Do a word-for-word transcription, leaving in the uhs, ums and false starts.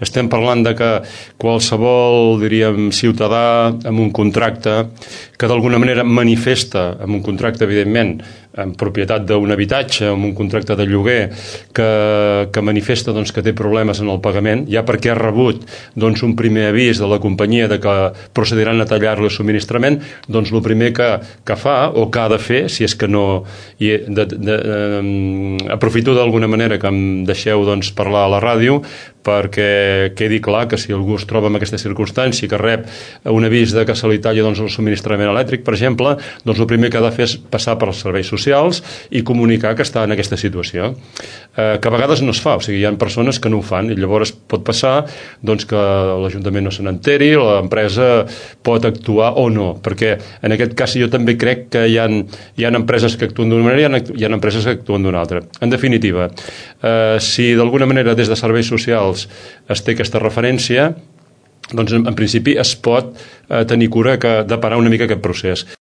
Estem parlant de que qualsevol, diríem, ciutadà amb un contracte que d'alguna manera manifesta, amb un contracte, evidentment, en propietat d'un habitatge, amb un contracte de lloguer, que, que manifesta doncs, que té problemes en el pagament, ja perquè ha rebut doncs, un primer avís de la companyia de que procediran a tallar-li el subministrament, doncs el primer que, que fa o que ha de fer, si és que no... I de, de, de, um, aprofito d'alguna manera que em deixeu doncs, parlar a la ràdio perquè quedi clar que si algú es troba en aquesta circumstància, que rep un avís de que se li talla doncs, el subministrament elèctric, per exemple, doncs el primer que ha de fer és passar per als serveis socials i comunicar que està en aquesta situació. Eh, que a vegades no es fa, o sigui, hi ha persones que no ho fan i llavors pot passar doncs, que l'Ajuntament no se n'enteri, l'empresa pot actuar o no, perquè en aquest cas jo també crec que hi ha, hi ha empreses que actuen d'una manera i hi ha, hi ha empreses que actuen d'una altra. En definitiva, eh, si d'alguna manera des de serveis socials es té aquesta referència, doncs en, en principi es pot eh, tenir cura que, de parar una mica aquest procés.